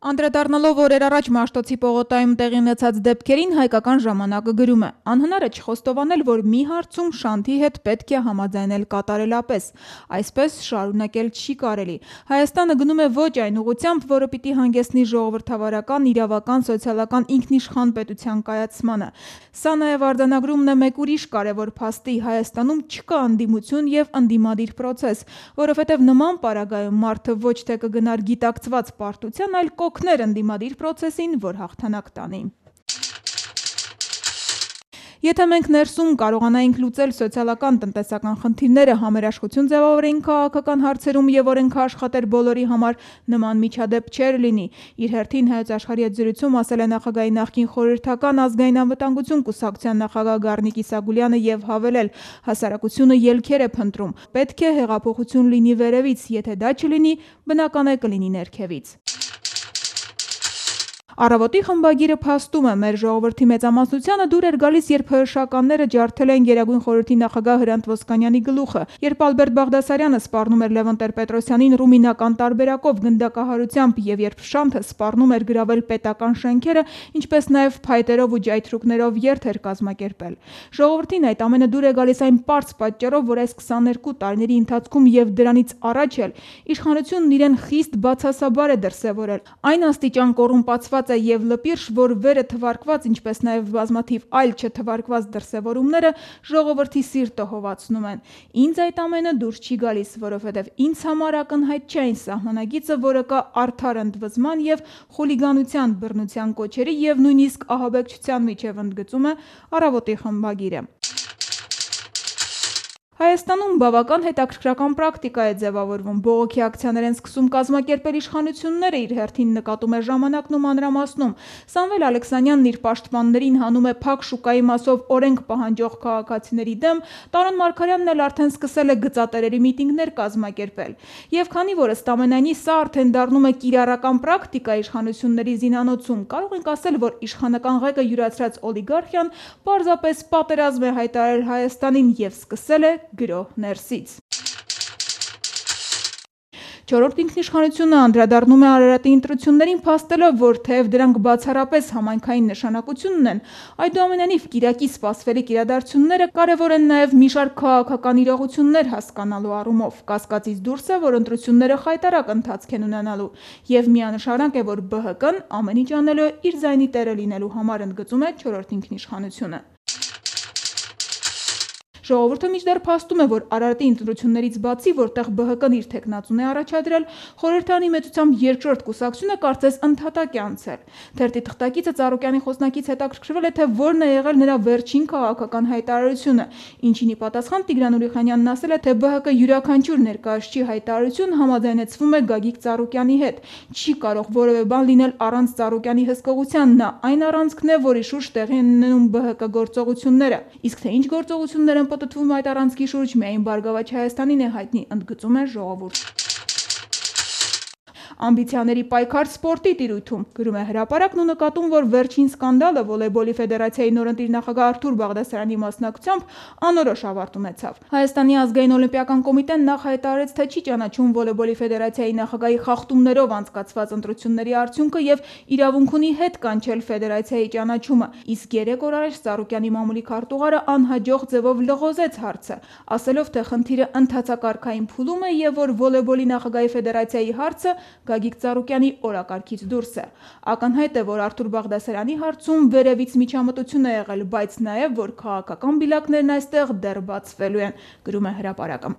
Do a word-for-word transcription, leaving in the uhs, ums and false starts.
Անդրադառնալով օրեր առաջ Մաշտոցի պողոտայում տեղի ունեցած դեպքերին, հայկական ժամանակը գրում է. «Անհնար է չխոստովանել, որ մի հարցում Շանթի հետ պետք է համաձայնել կատարելապես, այսպես շարունակել չի կարելի։ Հայաստանը գնում է ոչ այն ուղղությամբ, որը պիտի հանգեցնի ժողովրդավարական, իրավական, սոցիալական ինքնիշխան պետության կայացմանը։ Սա նաև արձանագրումն է մեկ ուրիշ կարևոր փաստի՝ Հայաստանում չկա ընդդիմություն և ընդդիմադիր պրոցես, որովհետև նման պարագայում մարդը ոչ թե կգնար գիտակցված պարտության, այլ կօգներ ընդդիմադիր պրոցեսին, որ հաղթանակ տանի։ Եթե մենք ներսում կարողանայինք լուծել սոցիալական տնտեսական խնդիրները, համերաշխություն ձևավորեինք քաղաքական հարցերում և օրենքը աշխատեր բոլորի համար, նման միջադեպ չէր լինի», - իր հերթին Հայոց Աշխարհի հետ զրույցում ասել է Նախագահի նախկին խորհրդական ազգային անվտանգություն կուսակցության նախագահ Գառնիկ Իսագուլյանը և հավելել. «Հասարակությունը ելքեր է փնտրում, պետք է հեղափոխություն լինի վերևից, եթե դա չլինի, բնական է կլինի ներքևից»։ Առավոտի խմբագիրը փաստում է. «Մեր ժողովրդի մեծամասնությանը դուր էր գալիս, երբ ՀՀՇ-ականները ջարդել էին Գերագույն խորհրդի նախագահ Հրանտ Ոսկանյանի գլուխը, երբ Ալբերտ Բաղդասարյանը սպառնում էր Լևոն Տեր-Պետրոսյանին ռումինական տարբերակով, գնդակահարությամբ և երբ Շանթը սպառնում էր գրավել պետական շենքերը, ինչպես նաև փայտերով ու ջայթրուկներով երթ էր կազմակերպել։ Ժողովրդին այդ ամենը դուր է գալիս այն պարզ պատճառով, որ այս քսաներկու տարիների ընթացքում և դրանից առաջ էլ իշխանությունն իրեն խիստ բացասաբար է դրսևորել, այն աստիճան կոռումպացված է և լպիրշ, որ վերը թվարկված, ինչպես նաև բազմաթիվ այլ չթվարկված դրսևորումները ժողովրդի սիրտը հովացնում են։ Ինձ այդ ամենը դուր չի գալիս, որովհետև ինձ համար ակնհայտ չէ այն սահմանագիծը, որը կա արդար ընդվզման և խուլիգանության, բռնության կոչերի և նույնիսկ ահաբեկչության միջև», - ընդգծում է Առավոտի խմբագիրը։ Հայաստանում բավական հետաքրքրական պրակտիկա է ձևավորվում. բողոքի ակցիաներ են սկսում կազմակերպել իշխանությունները, իր հերթին նկատում է ժամանակն ու մանրամասնում։ Սամվել Ալեքսանյանն իր պաշտպաններին հանում է փակ շուկայի մասով օրենք պահանջող քաղաքացիների դեմ, Տարոն Մարգարյանն էլ արդեն սկսել է գծատերերի միտինգներ կազմակերպել։ Եվ քանի որ ըստ ամենայնի սա արդեն դառնում է կիրառական պրակտիկա իշխանությունների զինանոցում, կարող ենք ասել, որ իշխանական ղեկը յուրացրած օլիգարխիան պարզապես պատերազմ է հայտարարել Հայաստանին և սկսել է գրոհ ներսից։ Չորրորդ ինքնիշխանությունը անդրադառնում է Արարատի ընտրություններին, փաստելով, որ թեև դրանք բացառապես համայնքային նշանակություն ունեն, այդուամենայնիվ կիրակի սպասվելիք իրադարձությունները կարևոր են նաև մի շարք քաղաքական իրողություններ հասկանալու առումով։ Կասկածից դուրս է, որ ընտրությունները խայտառակ ընթացք են ունենալու, և միանշանակ է, որ ԲՀԿ-ն ամեն ինչ անելու է իր ձայնի տերը լինելու համար, ընդգծում է չորրորդ ինքնիշխանությունը։ Ժողովուրդը մինչդեռ փաստում է, որ Արարատի ընտրություններից բացի, որտեղ ԲՀԿ-ն իր թեկնածուն է առաջադրել, խորհրդարանի մեծությամբ երկրորդ կուսակցությունը կարծես ընդհատակ է անցել։ Թերթի թղթակիցը Ծառուկյանի խոսնակից հետաքրքրվել է, թե որն է եղել նրա վերջին քաղաքական հայտարարությունը, ինչին ի պատասխան Տիգրան Ուրիխանյանն ասել է, թե ԲՀԿ յուրաքանչյուր ներկայացուցչի հայտարարություն համաձայնեցվում է Գագիկ Ծառուկյանի հետ։ Չի կարող որևէ բան լինել առանց Ծառուկյանի հսկողության, նա այն առանցքն է, որի շուրջ տեղի են ունենում ԲՀԿ գործողությունները։ Իսկ թե ինչ գործողություններ են պատտվում այդ առանցքի շուրջ, միայն Բարգավաճ Հայաստանին է հայտնի, ընդգծում է ժողովուրդ։ Ամբիցիաների պայքար սպորտի տիրույթում, գրում է Հրապարակն ու նկատում, որ վերջին սկանդալը Վոլեյբոլի ֆեդերացիայի նորընտիր նախագահ Արթուր Բաղդասարյանի մասնակցությամբ անորոշ ավարտ ունեցավ։ Հայաստանի ազգային օլիմպիական կոմիտեն նախ հայտարարեց, թե չի ճանաչում Վոլեյբոլի ֆեդերացիայի նախագահի խախտումներով անցկացված ընտրությունների արդյունքը և իրավունք ունի հետ կանչել ֆեդերացիայի ճանաչումը, իսկ երեք օր առաջ Ծառուկյանի մամուլի քարտուղարը անհաջող ձևով լղոզեց հարցը, ասելով, թե խնդիրը ընթացակարգային փուլում է և որ Վոլեյբոլի նախագահի ֆեդերացիայի հարցը Գագիկ Ծառուկյանի օրակարգից դուրս է։ Ակնհայտ է, որ Արթուր Բաղդասարյանի հարցում վերևից միջամտություն է եղել, բայց նաև, որ քաղաքական բիլակներն այստեղ դեռ բացվելու են, գրում է Հրապարակը։